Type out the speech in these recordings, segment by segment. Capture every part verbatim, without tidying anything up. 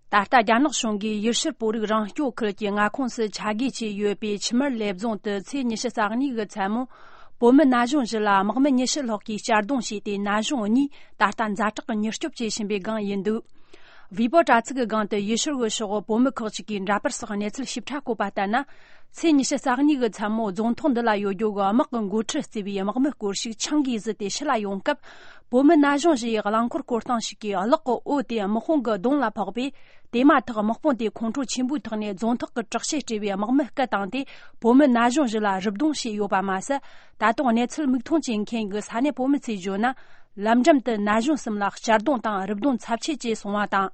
ད་ལྟ་རྒྱ་ནག་གཞུང་གིས་ཡུལ་ཤུལ་བོད་རིགས་རང་སྐྱོང་ཁུལ་གྱི་མངའ་ཁོངས་སུ་ཆ་བགོས་བྱས་ཡོད་པའི་ཆུ་དམར་ལེབ་རྫོང་དུ་ཚེས་ཉི་ཤུ་རྩ་གཉིས་ཀྱི་མཚན་མོ། བོད་མི་ན་གཞོན་བཞི་ལ་དམག་མི་ཉི་ཤུ་ལྷག་གིས་གཅར་རྡུང་བྱས་ཏེ། ན་གཞོན་གཉིས་ད་ལྟ་ཛ་དྲག་གི་མྱུར་སྐྱོབ་བྱེད་བཞིན་པའི་སྒང་ཡིན་འདུག། བྷི་བྷོ་དྲ་ཚིགས་ཀྱི་སྒང་དུ་ཡུལ་ཤུལ་གྱི་ཤོག་བུ་བོད་མི་ཁག་ཅིག་གིས་འདྲ་པར་སོགས་གནས་ཚུལ་ཞིབ་ཕྲ་བཀོད་པ་ལྟར་ན། ཚེས་ཉི་ཤུ་རྩ་གཉིས་ཀྱི་མཚན་མོ་རྫོང་ཐོག་འདི་ལ་ཡོད་རྒྱུ་གི་དམག་གི་འགོ་ཁྲིད་བརྩིས་པའི་དམག་མི་སྐོར་ཞིག་ཆང་གིས་བཟི་སྟེ་ཕྱི་ལ་ཡོང་སྐབས། བོད་མི་ན་གཞོན་བཞི་ཡིས་རླངས་འཁོར་བསྐོར་སྟངས་ཤིག་གིས་གློག་གི་འོད་དེ་དམག་དཔུང་གི་གདོང་ལ་ཕོག་པས། དེ་མ་ཐག་དམག་དཔུང་དེས་ཁོང་ཁྲོ་ཆེན་པོའི་ཐོག་ནས་རྫོང་ཐོག་གི་དྲག་ཆས་སྤྲས་པའི་དམག་མི་སྐུ་བཏང་སྟེ། བོད་མི་ན་གཞོན་བཞི་ལ་རུབ་རྡུང་བྱས་ཡོད་པ་མ་ཟད། ད་དུང་གནས་ཚུལ་མིག་མཐོང་བྱེད་མཁན་གྱི་ས་གནས་བོད་མི་ཚོས་བརྗོད་ན། ལམ་འགྲམ་དུ་ན་གཞོན་གསུམ་ལ་གཅར་རྡུང་དང་རུབ་རྡུང་ཚབས་ཆེ་བྱས་སོང་བ་དང་།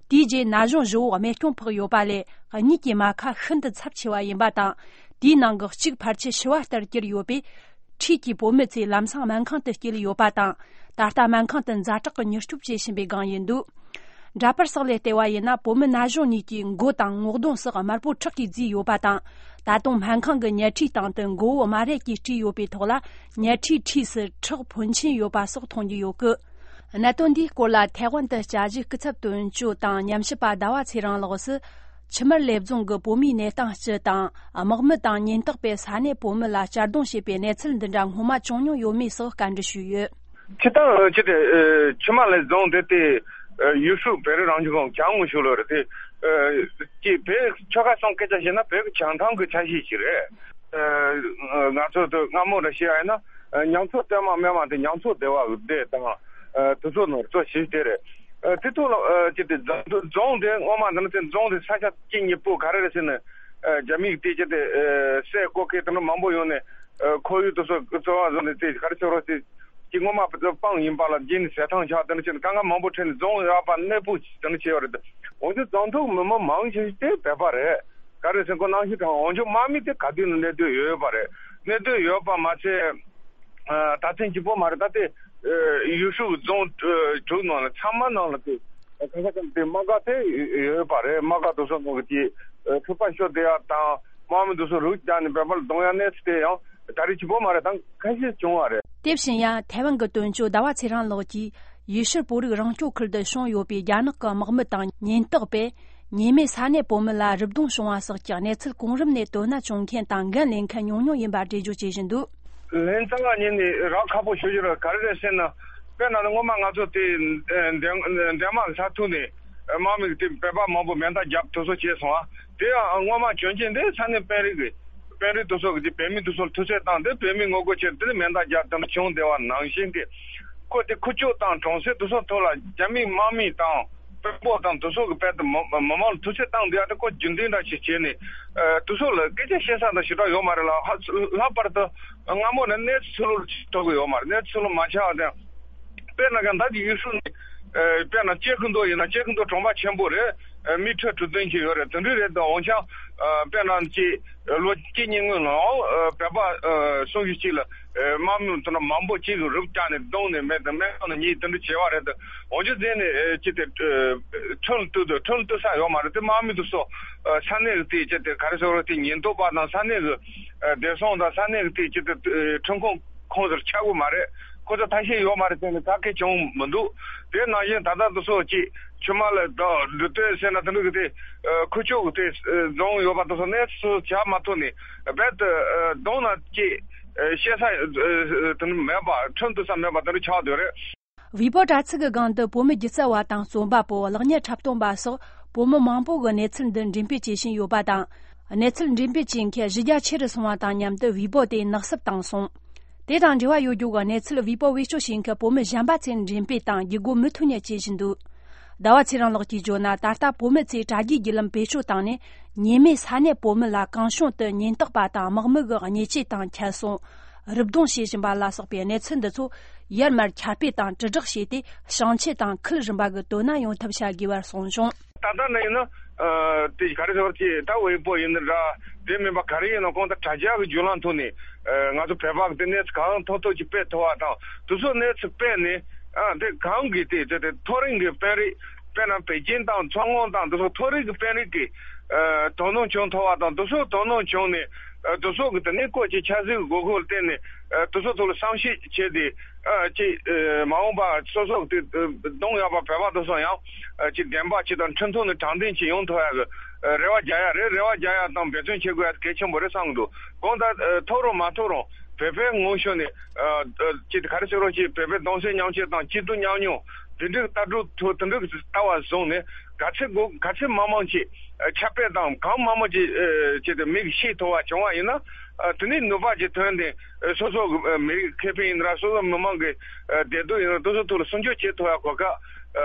དེའི་རྗེས་ན་གཞོན་བཞི་བོ་རྨས་སྐྱོན་ཕོག་ཡོད་པ་ལས། གཉིས་ཀྱི་རྨ་ཁ་ཤིན་ཏུ་ཚབས་ཆེ་བ་ཡིན་པ་དང་། དེའི་ནང་གི་གཅིག་ཕལ་ཆེར་ཤི་བ་ལྟར་གྱུར་ཡོད་པས། འཁྲིས་ཀྱི་བོད་མི་ཚོས་ལམ་སང་སྨན་ཁང་དུ་སྐྱེལ་ཡོད་པ་དང་། ད་ལྟ་སྨན་ཁང་དུ་ཛ་དྲག་གི་མྱུར་སྐྱོབ་བྱེད་བཞིན་པའི་སྒང་ཡིན་འདུག། འདྲ་པར་སོགས་ལས་བལྟས་པ་ཡིན་ན། བོད་མི་ན་གཞོན་གཉིས་ཀྱི་མགོ་དང་ངོ་གདོང་སོགས་དམར་པོ་ཁྲག་གིས་བརྫིས་ཡོད་པ་དང་། ད་དུང་སྨན་ཁང་གི་ཉལ་ཁྲིའི་སྟེང་དུ་མགོ་བོ་རྨ་རས་ཀྱིས་དཀྲིས་ཡོད་པའི་ཐོག་ལ། ཉལ་ཁྲིའི་འཁྲིས་སུ་ཁྲག་ཕོན་ཆེན་ཡོད་པ་སོགས་མཐོང་རྒྱུ་ཡོད་སྐད། གནད་དོན་འདིའི་སྐོར་ལ་ཐའེ་ཝན་དུ་དཔྱད་ཞིབ་སྐུ་ཚབ་དོན་གཅོད་དང་ཉམས་ཞིབ་པ་ཟླ་བ་ཚེ་རིང་ལགས་སུ། ཆུ་དམར་ལེབ་རྫོང་གི་བོད་མིའི་གནས་སྟངས་སྤྱི་དང་། དམག་མི་དང་ཉེན་རྟོག་པས་ས་གནས་བོད་མི་ལ་གཅར་རྡུང་བྱས་པའི་གནས་ཚུལ་འདི་འདྲ་སྔོན་མ་བྱུང་མྱོང་ཡོད་མེད་སོགས་བཀའ་འདྲི་ཞུས་ཡོད། སྤྱིར་བཏང་ཅི་སྟེ་ཆུ་དམར་ལེབ་རྫོང་དེ་དེ་ཡུས་ཧྲུའུ་བོད་རིགས་རང་སྐྱོང་ལྗོངས་གྱང་ངོས་ཤོད་ལོ་རེད་དེ། ཅི་བོད་ཆོལ་ཁ་གསུམ་སྐད་ཆ་བཤད་ན་བོད་ཀྱི་བྱང་ཐང་གི་ཆ་ཤས་ཤིག་རེད། ང་ཚོ་དུ་སྔ་མོ་ར་བཤད་ཡ་ཡིན་ན། ཉམས་ཚོད་ལྟད་མོ་སྨད་མ་དེ་ཉམས་ཚོད་བདེ་བ་བདེ་དང་། དུ་ཚོད་ནོར་ཚོད་ཞིག་དེ་རེད། དེ་ཐོག་ལ་ཅི་སྟེ་རྫོང་དེ་སྔོན་མ་འདི་ནི་དེ་རྫོང་དེ་ས་ཆ་གཅིག་གཉིས་པོ་ག་རེ་རེད་ཟེར་ན། རྒྱ་མིས་དེ་ཅི་སྟེ་སའི་གོ་སྐེ་དེ་འདྲ་མང་པོ་ཡོང་ནས་ཁོར་ཡུག་དེ་ཚོ་གཙོ་བོ་བཟོ་ནས་དེ་ག་རེ་ཟེར་རོ་དེ། ཀྱི་སྔོན་མ་སྤང་ཡིན་པ་ལ་རྗེས་ནས་ཟས་ཐང་ཆགས་དེ་འདྲ་བྱས་ནས་དཀའ་ངལ་མང་པོ་འཕྲད་ནས་རྫོང་ཡག་པ་གནས་སྤོ་དེ་འདྲ་བྱས་ཡོད་རེད། འོན་ཀྱང་རྫོང་ཐོག་མི་མང་མང་ཆེ་ཤོས་དེ་བོད་པ་རེད། ག་རེ་ཟེར་ཁོ་ནང་བཞིན་དང་འོན་ཀྱང་དམག་མི་དེ་ག་དུས་ནས་གནས་སྡོད་ཡོད་ཡོད་པ་རེད། གནས་སྡོད་ཡོད་པ་མ་ཚད། ད་ཐེངས་གཅིག་པོ་མ་རེད། ད་ལྟའི་ཡུས་ཧྲུའུ་རྫོང་དྲུག་ནང་ལ་ཚང་མ་ནང་ལ་དེ་གང་ག་ཙམ་དེ་དམག་སྒར་དེ་ཡོད་པ་རེད། དམག་སྒར་དེ་ཚོ་ནང་གི་དེ་འཁྲུག་པ་ཤོར་བསྡད་ཡ་དང་དམག་མི་དེ་ཚོ་རུབ་རྒྱག་ནས་བོད་པ་ལ་རྡུང་ཡ་གནས་ཚུལ་དེ་ཡང་ད་རེས་གཅིག་པོ་མ་རེད། ད་ཁ་ཤས་བྱུང་བ་རེད། དེ་བཞིན་ཡང་ཐའེ་ཝན་གྱི་དོན་གཅོད་ཟླ་བ་ཚེ་རིང་ལགས་ཀྱིས་ཡུལ་ཤུལ་བོད་རིགས་རང་སྐྱོང་ཁུལ་དུ་བྱུང་ཡོད་པའི་རྒྱ་ནག་གི་དམག་མི་དང་ཉེན་རྟོག་པས་ཉེས་མེད་ས་གནས་བོད་མི་ལ་རུབ་རྡུང་བྱུང་བ་སོགས་ཀྱི་གནས་ཚུལ་གོང་རིམ་ནས་དོ་སྣང་བྱུང་མཁན་དང་འགན་ལེན་མཁན་ཉུང་ཉུང་ཡིན་པ་འགྲེལ་བརྗོད་བྱེད་བཞིན་འདུག། ལན་ཙང་ང་ཉིད་ནས་རག་ཁག་པོ་ཞུ་རྒྱུ་རེད། ག་རེ་རེད་ཟེར་ན། དཔེར་ན་སྔོན་མ་ང་ཚོ་དེ་འདན་འདན་མ་ས་ཐུག་ནས་དམག་མི་དེ་བོད་པ་མང་པོ་མེ་མདའ་བརྒྱབ་དེ་ཚོ་བྱས་སོང་ཨ། དེ་ཡང་སྔོན་མ་བྱུང་རྐྱེན་དེ་ས་གནས་དཔོན་རིགས་ཀྱི་དཔོན་རིགས་དེ་ཚོ་གི་དེ་བོད་མི་དེ་ཚོར་ཐུག་འཕྲད་བཏང་སྟེ་བོད་མི་ངོ་རྒོལ་བྱས་དེ་ནས་མེ་མདའ་བརྒྱབ་དེ་འདྲ་བྱུང་བསྡད་པ་ནང་བཞིན་གྱི། ཁོ་དེ་ཁུ་བྱུག་དང་གྲོང་གསེབ་དེ་ཚོ་ཐོག་ལ་རྒྱ་མིའི་དམག་མི་དང་དཔོན་པོ་དང་དེ་ཚོ་གི་དཔེ་དེ་མི་མི་མང་ལ་ཐུག་འཕྲད་བཏང་བསྡད་ཡ་དེ་ཁོ་རྒྱུན་ལྡན་འདྲ་ཞིག་བྱས་ནས། དེ་ཚོ་ལ་སྐད་ཆ་བཤད་ས་དང་ཞེ་དྲག་ཡོད་མ་རེད་ལ། ལྷག་པར་དུ་སྔ་མོ་ནས་གནས་ཚུལ་ལོ་ཐོག་གི་ཡོད་མ་རེད། གནས་ཚུལ་ལོ་མ་ཆགས་དང་། དཔེར་ན་གང་ད་ཀྱི་ཡུལ་ཤུལ་ནས། དཔེར་ན་ཅེ་ཁུན་ཏོ་ཡིན་ན་ཅེ་ཁུན་ཏོ་གྲོང་པ་ཆེན་པོ་རེད། མི་ཁྲི་དྲུག་བདུན་ཅིག་ཡོད་རེད། དེ་འདྲ་རེད་དང་འོན་ཀྱང་། དཔེར་ན་ཅིག་ལོ་གཅིག་གཉིས་སྔོན་ལ་བོད་པ་སུམ་ཅུ་ཅིག་ལ་དམག་མི་དེ་འདྲ་མང་པོ་ཅིག་གིས་རུབ་བཀྱགས་ནས་བརྡུངས་ནས་མེད་དང་མེད་ནས་གཉིས་དེ་འདྲ་བྱས་པ་རེད་དང་། འོན་ཀྱང་དེ་ནས་ཅི་སྟེ་ཁྲིམས་གཏུག་དུ་ཁྲིམས་གཏུག་ས་ཡོད་མ་རེད། དེ་དམག་མི་དེ་ཚོ་ས་གནས་ཀྱི་དེ་ཅི་སྟེ་ག་རེ་ཟེར་དགོས་རེད། དེ་ཉེན་རྟོག་པ་དང་ས་གནས་ཀྱི་བདེ་སྲུང་དང་ས་གནས་ཀྱི་དེ་ཅི་སྟེ་ཁྲིམས་ཁང་ཁོངས་སུ་ཆགས་ཀྱི་མ་རེད། ཁོ་ཚོ་ཐ་ཤལ་ཡོད་མ་རེད་ཟེར་ནས་ཐག་གིས་བྱུང་མི་འདུག། དེ་ནང་བཞིན་ད་ལྟ་དེ་ཚོ་ཅིག་ཆུ་དམར་ལ་འགྲོ་འགྲོ་དུས་ཟེར་ན་དེ་འདྲ་གི་དེ་ཁུ་བྱུག་གི་དེ་རྫོང་ཡོད་པ་དེ་ཚོ་གནས་ཚུལ་བྱ་མ་ཐུབ་ནས་རྦད་དེ་གདོང་ན་ཅིག་བཤད་ས་དེ་འདྲ་མེད་པ། ཁྲིམས་གཏུག་ས་མེད་པ་དེ་འདྲ་ཆགས་བསྡད་རེད། ཝི་པོ་དྲ་ཚིགས་ཀྱི་སྒང་དུ་བོད་མི་སྒྱུ་རྩལ་བ་དང་རྩོམ་པ་པོ། གློག་བརྙན་འཁྲབ་སྟོན་པ་སོགས་བོད་མི་མང་པོ་གིས་གནས་ཚུལ་འདི་འགྲེམས་སྤེལ་བྱེད་བཞིན་ཡོད་པ་དང་། གནས་ཚུལ་འགྲེམས་སྤེལ་བྱེད་མཁན་གཞི་རྒྱ་ཆེ་རུ་སོང་བ་དང་མཉམ་དུ་ཝི་པོ་དེ་ནག་བསུབ་བཏང་སོང་། དེ་དང་འབྲེལ་བ་ཡོད་རྒྱུ་གི་གནས་ཚུལ་ཝི་པོ་བེད་སྤྱོད་བྱེད་མཁན་བོད་མི་གཞན་པ་ཚོས་འགྲེམས་སྤེལ་དང་བརྒྱུད་སྒོ་མུ་མཐུད་ནས་བྱེད་བཞིན་འདུག། ཟླ་བ་ཚེ་རིང་ལགས་ཀྱིས་བརྗོད་ན། ད་ལྟ་བོད་མི་ཚོས་དྲ་རྒྱའི་བརྒྱུད་ལམ་བེད་སྤྱོད་བཏང་ནས་ཉེས་མེད་ས་གནས་བོད་མི་ལ་གང་བྱུང་དུ་ཉེན་རྟོག་པ་དང་དམག་མི་གི་བརྙས་བཅོས་དང་ཁྱད་གསོད། རུབ་རྡུང་བྱེད་བཞིན་པ་ལ་སོགས་པའི་གནས་ཚུལ་འདི་ཚོ་ཡར་མར་ཁྱབ་སྤེལ་དང་དྲིལ་བསྒྲགས་བྱས་ཏེ། བྱང་ཆུབ་དང་ཁུལ་རིམ་པ་གི་དོ་སྣང་ཡོང་ཐབས་བྱ་དགོས་པར་གསུངས་བྱུང་། ད་ལྟ་ནི་ཡིན་ན། དེ་ག་རེ་ཟེར་བ་ཅིག་ད་ཝེ་པོ་ཡིན་ན་འདྲ། དེ་མིན་པ་ག་རེ་ཡིན་ན་གང་ལྟར་དྲ་རྒྱ་གི་བརྒྱུད་ལམ་ཐོག་ནས་ང་ཚོ་བོད་པ་གི་དེ་གནས་ཚུལ་གང་ཐུབ་ཐུབ་ཅིག་སྤེལ་ཐུབ་པ་དང་། དེ་ཚོ་གནས་ཚུལ་སྤེལ་ནས་དེ་གང་གི་དེ་དེ་དེ་མཐོ་རིམ་གི་དཔོན་རིགས། དཔེར་ན་བོད་ཁྱིམ་དང་མཚོ་སྔོན་དང་དེ་ཚོ་མཐོ་རིམ་གྱི་དཔོན་རིགས་ཀྱི་ཨ་དོ་སྣང་བྱུང་ཐུབ་པ་དང་། དེ་ཚོ་དོ་སྣང་བྱུང་ནས་ཨ་དེ་ཚོ་གི་དེ་ནས་བཀོད་ཀྱི་ཆབ་སྲིད་ཀྱི་དགོས་མཁོ་ལ་བརྟེན་ནས་ཨ་དེ་ཚོ་ཐོག་ལ་བསམ་ཤེས་བྱས་ཏེ། ཨ་ཅིག་ཨ་མ་འོངས་པ་སོ་སོ་གི་དེ་གདོང་ཡག་པ་བོད་པ་དེ་ཚོ་ཡང་ཨ་ཅིག་བདེན་པ་ཅིག་དང་ཁྲིམས་མཐུན་ནས་དྲང་བདེན་ཅིག་ཡོང་ཐུབ་ཡག་གི་ཨ་རེ་བ་རྒྱག་ཡག་རེད། རེ་བ་རྒྱག་ཡག་དང་འབད་བརྩོན་བྱེད་དགོས་ཡག་གལ་ཆེན་པོ་རེད་བསམ་གི་འདུག་གང་ལྟར་ཨ་ཐོབ་རུང་མ་ཐོབ་རུང་བོད་པའི་ངོས་ཕྱོགས་ནས་ཨ་ཨ་ཅིག་ག་རེ་ཟེར་རོགས་ཅིག་བོད་པའི་གདུང་སེམས་མཉམ་སྐྱེད་དང་སྐྱིད་སྡུག་མཉམ་མྱོང་དེ་འདྲའི་ལྟ་གྲུབ་ཐོག་དེ་འདྲའི་ལྟ་བ་བཟུང་ནས་ག་ཚོད་དགོས་ག་ཚོད་མང་མང་ཅིག་ཨ་ཁྱབ་སྤེལ་དང་གང་མང་མང་ཅིག་ཨ་ཅིག་དེ་མིག་ཤེས་ཐུབ་པ་བྱུང་བ་ཡིན་ན། ཨ་དེ་ནས་ནུས་པ་ཅིག་ཐོན་ཏེ་ཨ་སོ་སོ་གི་ཨ་མི་རིགས་ཁེ་ཕན་ཡིན་ན་ར་སོ་སོ་མི་མང་གི་ཨ་བདེ་སྡུག་ཡིན་ན་དེ་ཚོ་ཐོག་ལ་སྲུང་སྐྱོབ་བྱེད་ཐུབ་ཡག་གོ་སྐབས་ཨ་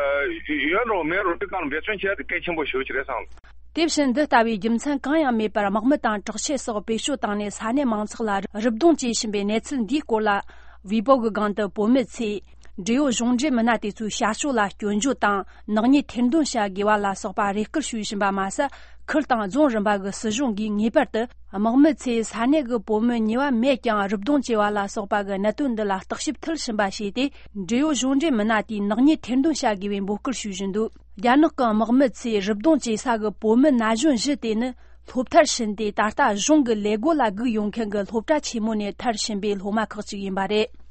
ཡོད་རུང་མེད་རུང་དེ་གང་འབད་བརྩོན་བྱེད་ཡག་དེ་གལ་ཆེན་པོ་ཞེ་པོ་ཅིག་རེད་བསམ། དེ་བཞིན་འདི་ལྟ་བུའི་རྒྱུ་མཚན་གང་ཡང་མེད་པར་དམག་མི་དང་དྲག་ཆས་སོགས་བེད་སྤྱོད་བཏང་ནས་ས་གནས་མང་ཚོགས་ལ་རུབ་རྡུང་བྱེད་བཞིན་པའི་གནས་ཚུལ་འདིའི་སྐོར་ལ། ཝེ་པོ་གི་སྒང་དུ་བོད་མི་ཚོས་འབྲེལ་ཡོད་གཞུང་འབྲེལ་མི་སྣ་དེ་ཚོའི་བྱ་སྤྱོད་ལ་སྐྱོན་བརྗོད་དང་། ནག་ཉེས་ཐེར་འདོན་བྱ་དགོས་པ་ལ་སོགས་པ་རེ་སྐུལ་ཞུ་བཞིན་པ་མ་ཟད། ཁུལ་དང་རྫོང་རིམ་པ་གི་སྲིད་གཞུང་གིས་ངེས་པར་དུ་དམག་མི་ཚོས་ས་གནས་ཀྱི་བོད་མི་ཉེས་པ་མེད་ཀྱང་རུབ་རྡུང་བྱས་པ་ལ་སོགས་པ་གི་གནད་དོན་འདི་ལ་བརྟག་ཞིབ་མཐིལ་ཕྱིན་པ་བྱས་ཏེ། འབྲེལ་ཡོད་གཞུང་འབྲེལ་མི་སྣ་དེས་ནག་ཉེས་ཐེར་འདོན་བྱ་དགོས་པའི་འབོད་སྐུལ་ཞུ་བཞིན་འདུག་རྒྱ་ནག་གི་དམག་མི་ཚོས་རུབ་རྡུང་བྱེད་ས་གི་བོད་མི་ན་གཞོན་བཞི་དེ་ནི་སློབ་མཐར་ཕྱིན་ཏེ། ད་ལྟ་གཞུང་གི་ལས་བགོ་ལ་སྒུག་ཡོད་མཁན་གྱི་སློབ་གྲྭ་ཆེན་མོ་ནས་མཐར་ཕྱིན་པའི་སློབ་མ་ཁག་ཅིག་ཡིན་པ་རེད།